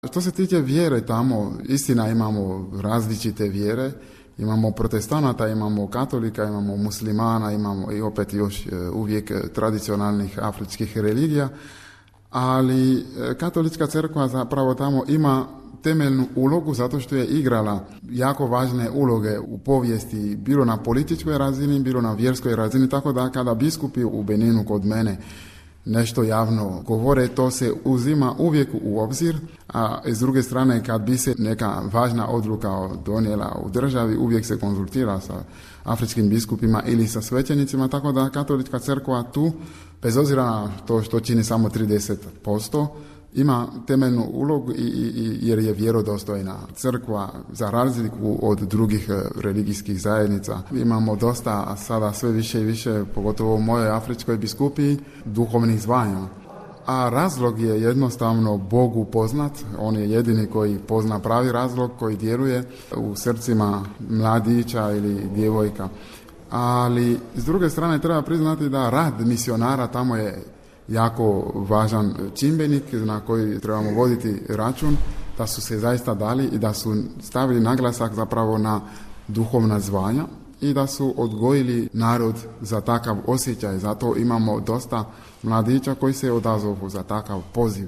Što se tiče vjere tamo, istina imamo različite vjere, imamo protestanata, imamo katolika, imamo muslimana, imamo i opet još uvijek tradicionalnih afričkih religija, ali katolička crkva zapravo tamo ima temeljnu ulogu zato što je igrala jako važne uloge u povijesti, bilo na političkoj razini, bilo na vjerskoj razini, tako da kada biskupi u Beninu kod mene nešto javno govore, to se uzima uvijek u obzir, a s druge strane kad bi se neka važna odluka donijela u državi, uvijek se konzultira sa afričkim biskupima ili sa svećenicima, tako da katolička crkva tu, bez obzira na to što čini samo 30%, ima temeljnu ulogu jer je vjerodostojna crkva za razliku od drugih religijskih zajednica. Imamo dosta sada sve više i više, pogotovo u mojoj afričkoj biskupiji, duhovnih zvanja. A razlog je jednostavno Bogu poznat, on je jedini koji pozna pravi razlog, koji djeluje u srcima mladića ili djevojka. Ali s druge strane treba priznati da rad misionara tamo je jako važan čimbenik na koji trebamo voditi račun, da su se zaista dali i da su stavili naglasak zapravo na duhovna zvanja i da su odgojili narod za takav osjećaj. Zato imamo dosta mladića koji se odazovu za takav poziv.